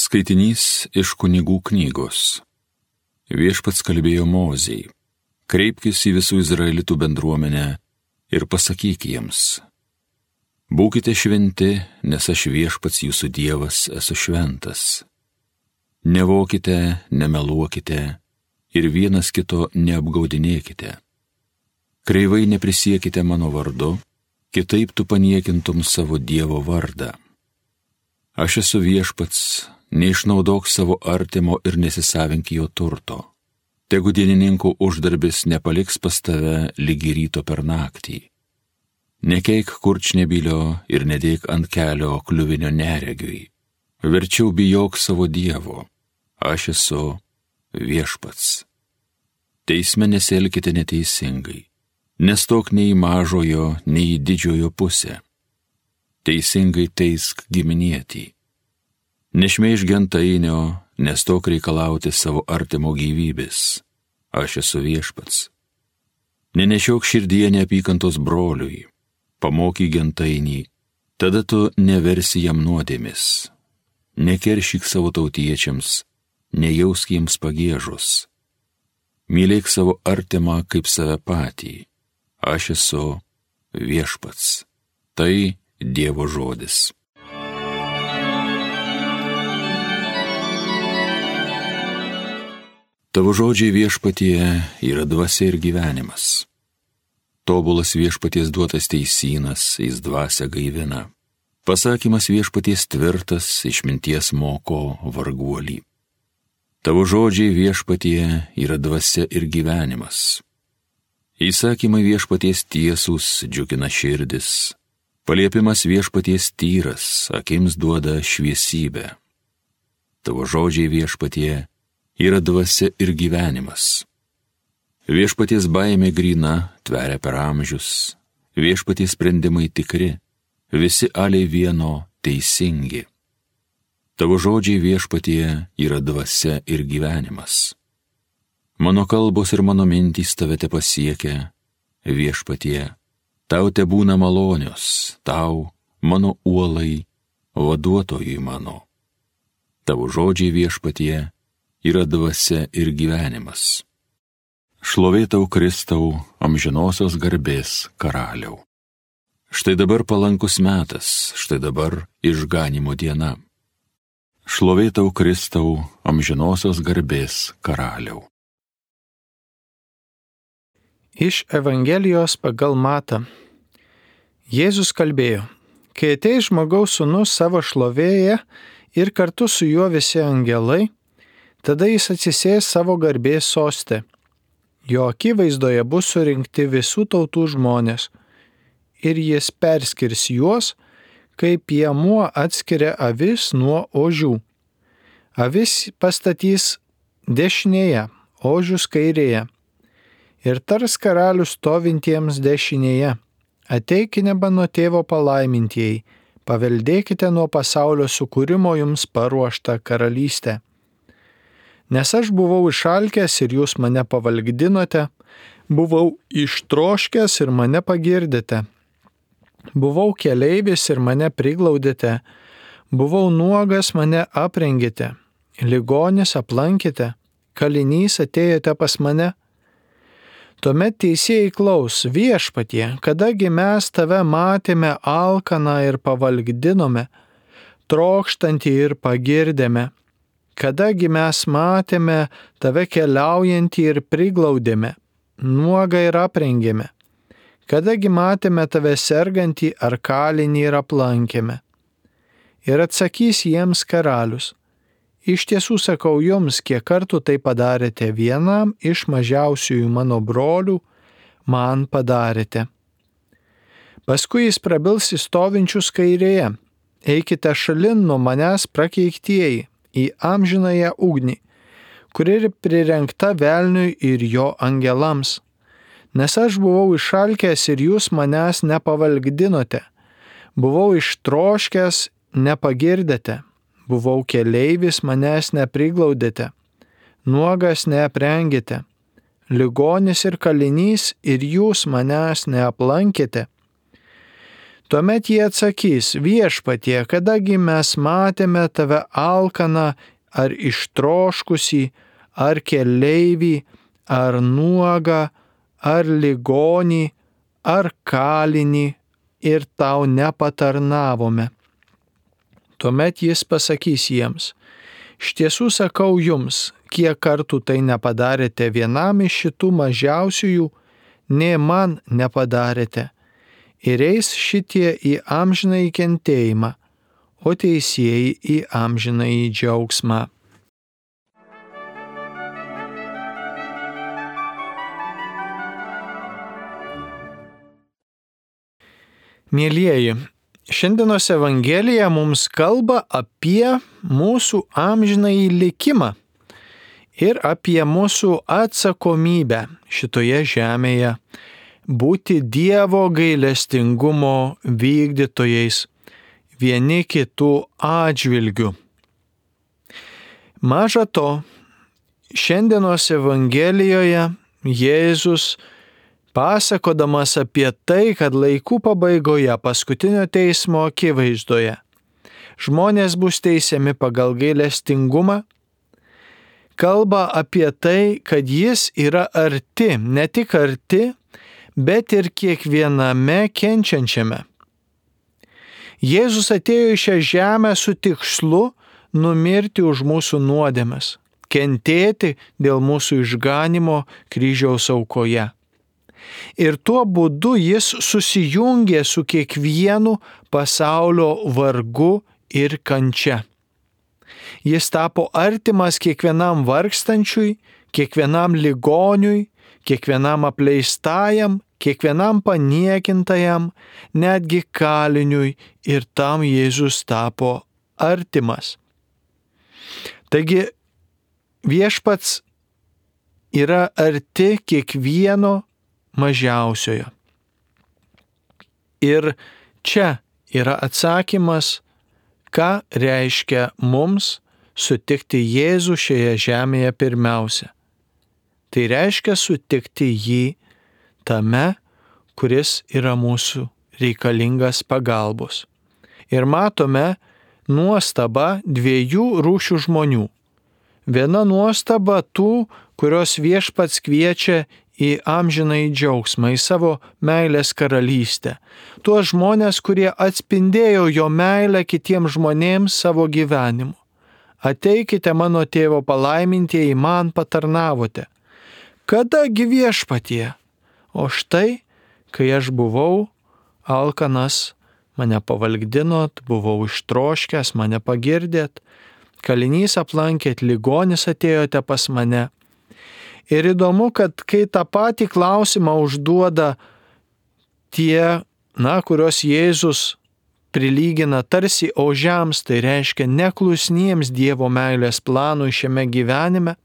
Skaitinys iš Kunigų knygos. Viešpats kalbėjo Mozei: kreipkis į visų Izraelitų bendruomenę ir pasakyk jiems: būkite šventi, nes aš Viešpats jūsų Dievas esu šventas. Nevokite, nemeluokite ir vienas kito neapgaudinėkite. Kreivai neprisiekite mano vardu, kitaip tu paniekintum savo Dievo vardą. Aš esu Viešpats, neišnaudok savo artimo ir nesisavink jo turto. Tegu dienininkų uždarbis nepaliks pas tave lygi ryto per naktį. Nekeik kurčnebylio ir nedėk ant kelio kliuvinio neregiui. Verčiau bijok savo Dievo. Aš esu Viešpats. Teisme nesielkite neteisingai. Nestok nei į mažojo, nei į didžiojo pusę. Teisingai teisk giminietį. Nešmeižk gentainio, nestok reikalauti savo artimo gyvybės. Aš esu Viešpats. Nenešiok širdyje neapykantos broliui. Pamokyk gentainį, tada tu neversi jam nuodėmis. Nekeršyk savo tautiečiams, nejausk jiems pagiežos. Mylėk savo artimą kaip save patį. Aš esu Viešpats. Tai Dievo žodis. Tavo žodžiai Viešpatie yra dvasia ir gyvenimas. Tobulas Viešpaties duotas teisynas, jis dvasia gaivina. Pasakymas Viešpaties tvirtas, išminties moko varguolį. Tavo žodžiai Viešpatie yra dvasia ir gyvenimas. Įsakymai Viešpaties tiesūs džiugina širdis. Paliepimas Viešpaties tyras, akims duoda šviesybę. Tavo žodžiai Viešpatie yra dvasia ir gyvenimas. Viešpaties baimė gryna, tveria per amžius. Viešpaties sprendimai tikri, visi aliai vieno teisingi. Tavo žodžiai Viešpatie yra dvasia ir gyvenimas. Mano kalbos ir mano mintys tave te pasiekia, Viešpatie. Tau te būna malonios, tau, mano uolai, vaduotojui mano. Tavo žodžiai Viešpatie yra dvasia ir gyvenimas. Šlovė tau Kristau, amžinosios garbės karaliau. Štai dabar palankus metas, štai dabar išganymo diena. Šlovė tau Kristau, amžinosios garbės karaliau. Iš Evangelijos pagal Matą. Jėzus kalbėjo: kai ateis žmogaus sūnus savo šlovėje ir kartu su juo visi angelai, tada jis atsisės savo garbės soste. Jo akivaizdoje bus surinkti visų tautų žmonės, ir jis perskirs juos, kaip piemuo atskiria avis nuo ožių. Avis pastatys dešinėje, ožius kairėje. Ir tars karalius stovintiems dešinėje: ateikite mano tėvo palaimintieji, paveldėkite nuo pasaulio sukūrimo jums paruoštą karalystę. Nes aš buvau išalkęs ir jūs mane pavalgdinote, buvau ištroškęs ir mane pagirdėte, buvau keleivis ir mane priglaudėte, buvau nuogas, mane aprengėte, ligonis aplankėte, kalinys atėjote pas mane. Tuomet teisėjai klaus: Viešpatie, kadagi mes tave matėme alkaną ir pavalgdinome, trokštantį ir pagirdėme, kadagi mes matėme tave keliaujantį ir priglaudėme, nuogą ir aprengėme, kadagi matėme tave sergantį ar kalinį ir aplankėme. Ir atsakys jiems karalius: iš tiesų sakau jums, kiek kartų tai padarėte vienam iš mažiausiųjų mano brolių, man padarėte. Paskui jis prabils į stovinčius kairėje: eikite šalin nuo manęs prakeiktieji, į amžinąją ugnį, kuri prirengta velniui ir jo angelams. Nes aš buvau išalkęs ir jūs manęs nepavalgdinote, buvau ištroškęs, nepagirdėte, buvau keleivis, manęs nepriglaudėte, nuogas neaprengėte, ligonis ir kalinys ir jūs manęs neaplankėte. Tuomet jie atsakys: Viešpatie, kadagi mes matėme tave alkaną ar ištroškusį, ar keleivį, ar nuogą, ar ligonį, ar kalinį ir tau nepatarnavome. Tuomet jis pasakys jiems: iš tiesų sakau jums, kiek kartų tai nepadarėte vienam iš šitų mažiausiųjų, nė man nepadarėte. Ir eis šitie į amžinąjį kentėjimą, o teisieji į amžinąjį džiaugsmą. Mielieji, šiandienos Evangelija mums kalba apie mūsų amžinąjį likimą ir apie mūsų atsakomybę šitoje žemėje būti Dievo gailestingumo vykdytojais vieni kitų atžvilgių. Maža to, šiandienos Evangelijoje Jėzus, pasakodamas apie tai, kad laikų pabaigoje paskutinio teismo akivaizdoje žmonės bus teisiami pagal gailestingumą, kalba apie tai, kad jis yra arti, ne tik arti, bet ir kiekviename kenčiančiame. Jėzus atėjo į šią žemę su tikslu numirti už mūsų nuodėmes, kentėti dėl mūsų išganimo kryžiaus aukoje. Ir tuo būdu jis susijungė su kiekvienu pasaulio vargu ir kančia. Jis tapo artimas kiekvienam vargstančiui, kiekvienam ligoniui, kiekvienam apleistajam, kiekvienam paniekintajam, netgi kaliniui, ir tam Jėzus tapo artimas. Taigi viešpats yra arti kiekvieno mažiausiojo. Ir čia yra atsakymas, ką reiškia mums sutikti Jėzų šioje žemėje pirmiausia. Tai reiškia sutikti jį tame, kuris yra mūsų reikalingas pagalbos. Ir matome nuostabą dviejų rūšių žmonių. Viena nuostaba tų, kurios viešpats kviečia į amžinąjį džiaugsmą, į savo meilės karalystę. Tuos žmonės, kurie atspindėjo jo meilę kitiems žmonėms savo gyvenimu. Ateikite mano tėvo palaimintieji, man patarnavote. Kadagi viešpatie? O štai, kai aš buvau alkanas, mane pavalgdinot, buvau ištroškęs, mane pagirdėt, kalinys aplankėt, ligonis atėjote pas mane. Ir įdomu, kad kai tą patį klausimą užduoda tie, kurios Jėzus prilygina tarsi ožiams, tai reiškia neklusniems Dievo meilės planui šiame gyvenime,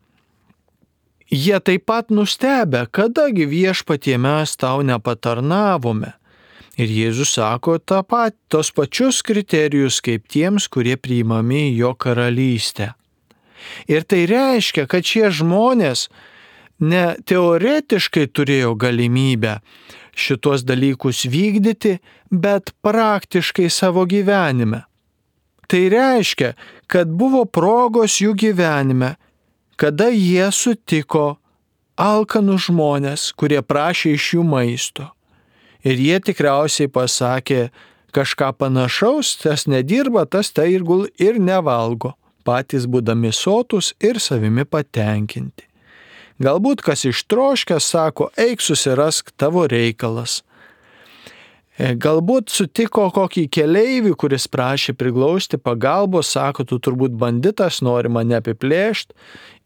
jie taip pat nustebę, kadagi viešpatie mes tau nepatarnavome. Ir Jėzus sako tos pačius kriterijus kaip tiems, kurie priimami į jo karalystę. Ir tai reiškia, kad šie žmonės ne teoretiškai turėjo galimybę šitos dalykus vykdyti, bet praktiškai savo gyvenime. Tai reiškia, kad buvo progos jų gyvenime, kada jie sutiko alkanus žmonės, kurie prašė iš jų maisto. Ir jie tikriausiai pasakė kažką panašaus, tas nedirba, tas tai ir nevalgo, patys būdami sotus ir savimi patenkinti. Galbūt kas ištroškęs sako, eik susirask tavo reikalas. Galbūt sutiko kokį keleivį, kuris prašė priglausti pagalbos, sako, tu turbūt banditas, nori mane apiplėšti,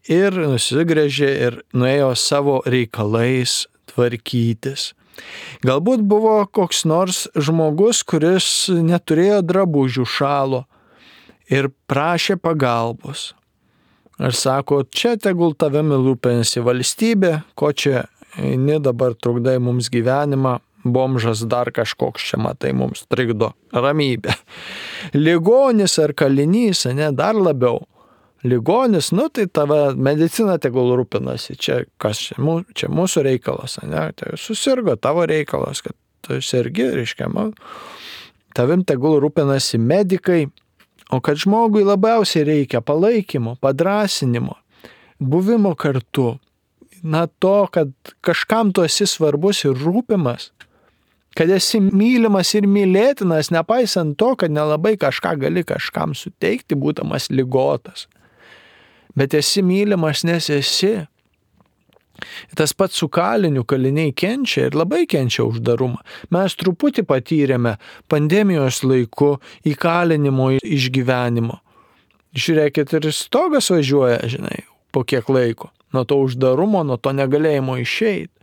ir nusigręžė ir nuėjo savo reikalais tvarkytis. Galbūt buvo koks nors žmogus, kuris neturėjo drabužių, šalo ir prašė pagalbos. Ir sako, čia tegul tavimi rūpinasi valstybė, ko čia eini dabar trukdai mums gyvenimą, bomžas dar kažkoks čia matai mums trikdo ramybę. Ligonis ar kalinys, dar labiau. Ligonis, tai tave medicina tegul rūpinasi, čia kas čia mūsų reikalas, tai susirgo tavo reikalas, kad tu sergi, reiškia, tavim tegul rūpinasi medikai, o kad žmogui labiausiai reikia palaikymo, padrasinimo, buvimo kartu, to, kad kažkam tu esi svarbus ir rūpimas, kad esi mylimas ir mylėtinas, nepaisant to, kad nelabai kažką gali kažkam suteikti, būdamas ligotas. Bet esi mylimas, nes esi. Tas pats su kaliniu, kaliniai kenčia ir labai kenčia uždarumą. Mes truputį patyrėme pandemijos laiku įkalinimo išgyvenimo. Žiūrėkit, ir stogas važiuoja, po kiek laiko. Nuo to uždarumo, nuo to negalėjimo išeiti.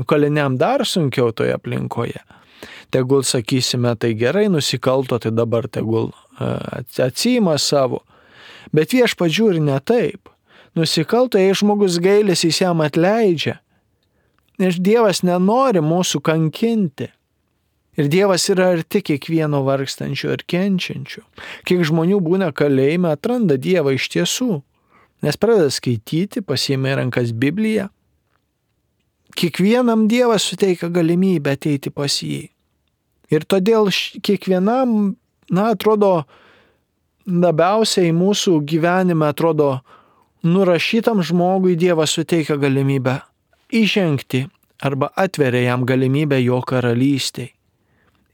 Kaliniam dar sunkiau toje aplinkoje. Tegul, sakysime, tai gerai nusikalto, tai dabar tegul atsiima savo. Bet Viešpats žiūri ne taip. Nusikalto, jei žmogus gailisi, jis jam atleidžia. Nes Dievas nenori mūsų kankinti. Ir Dievas yra arti kiekvieno vargstančio ir kenčiančio. Kiek žmonių būna kalėjime, atranda Dievą iš tiesų. Nes pradeda skaityti, pasiima į rankas Bibliją. Kiekvienam Dievas suteikia galimybę ateiti pas jį. Ir todėl kiekvienam, atrodo, labiausiai mūsų gyvenime, atrodo, nurašytam žmogui Dievas suteikia galimybę įžengti arba atveria jam galimybę jo karalystėj.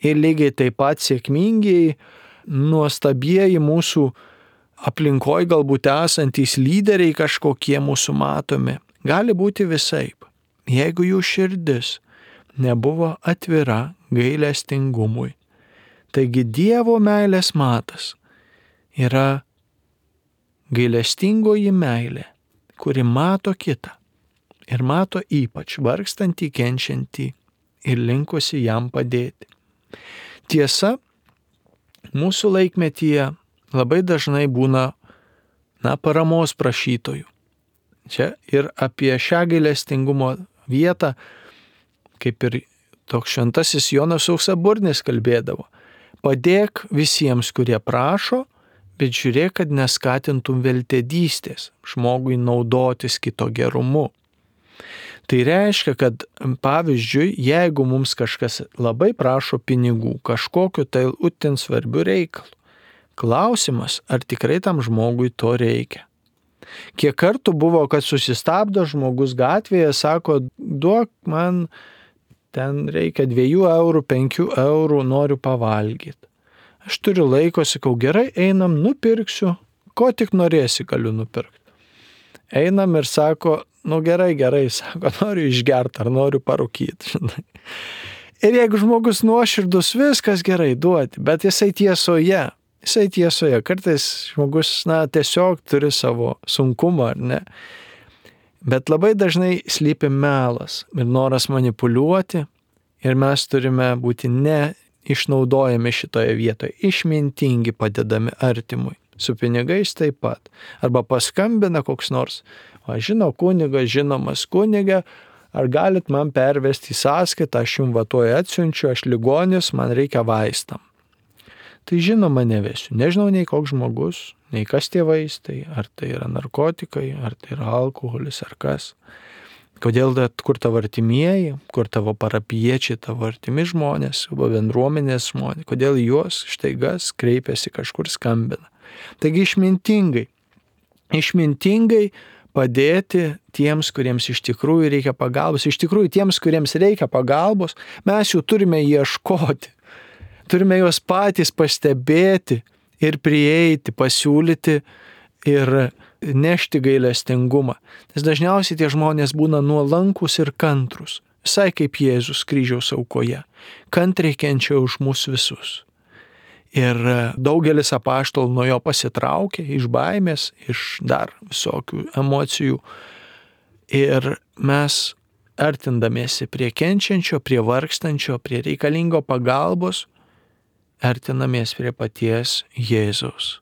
Ir lygiai taip pat sėkmingiai, nuostabieji mūsų aplinkoje galbūt esantys lyderiai kažkokie mūsų matomi, gali būti visaip. Jeigu jų širdis nebuvo atvira gailestingumui. Taigi Dievo meilės matas yra gailestingoji meilė, kuri mato kitą ir mato ypač vargstantį, kenčiantį ir linkusi jam padėti. Tiesa, mūsų laikmetyje labai dažnai būna paramos prašytojų. Čia ir apie šią gailestingumo vietą, kaip ir toks šventasis Jonas Auksaburnis kalbėdavo. Padėk visiems, kurie prašo, bet žiūrėk, kad neskatintum veltėdystės žmogui naudotis kito gerumu. Tai reiškia, kad pavyzdžiui, jeigu mums kažkas labai prašo pinigų, kažkokiu tai itin svarbiu reikalu, klausimas, ar tikrai tam žmogui to reikia. Kiek kartų buvo, kad susistabdo žmogus gatvėje, sako, duok man, ten reikia 2 eurų, 5 eurų, noriu pavalgyti. Aš turiu laiko, sakau, gerai, einam, nupirksiu, ko tik norėsi, galiu nupirkti. Einam ir sako, gerai, sako, noriu išgerti ar noriu parūkyti. Ir jeigu žmogus nuoširdus, viskas gerai duoti, bet jisai tiesoje. Kartais žmogus, tiesiog turi savo sunkumą, ar ne? Bet labai dažnai slypi melas ir noras manipuliuoti ir mes turime būti neišnaudojami šitoje vietoje, išmintingi padedami artimui. Su pinigais taip pat. Arba paskambina koks nors, žino kunigas, žinomas kunigė, ar galit man pervesti į sąskaitą, aš jums vatuoju atsiunčiu, aš ligonis, man reikia vaistam. Tai žinoma nevesiu. Nežinau nei koks žmogus, nei kas tie vaistai, ar tai yra narkotikai, ar tai yra alkoholis, ar kas. Kodėl, kur tavo artimieji, kur tavo parapiečiai, tavo artimi žmonės, bendruomenės žmonės, kodėl juos štaigas kreipiasi kažkur skambina. Taigi išmintingai padėti tiems, kuriems iš tikrųjų reikia pagalbos. Iš tikrųjų tiems, kuriems reikia pagalbos, mes jų turime ieškoti. Turime juos patys pastebėti ir prieiti, pasiūlyti ir nešti gailestingumą. Nes dažniausiai tie žmonės būna nuolankus ir kantrus, visai kaip Jėzus kryžiaus aukoje, kantriai kenčia už mus visus. Ir daugelis apaštalų nuo jo pasitraukė iš baimės, iš dar visokių emocijų. Ir mes artindamiesi prie kenčiančio, prie vargstančio, prie reikalingo pagalbos, artinamės prie paties Jėzaus.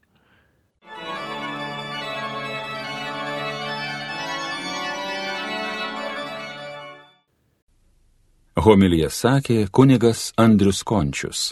Homiliją sakė kunigas Andrius Končius.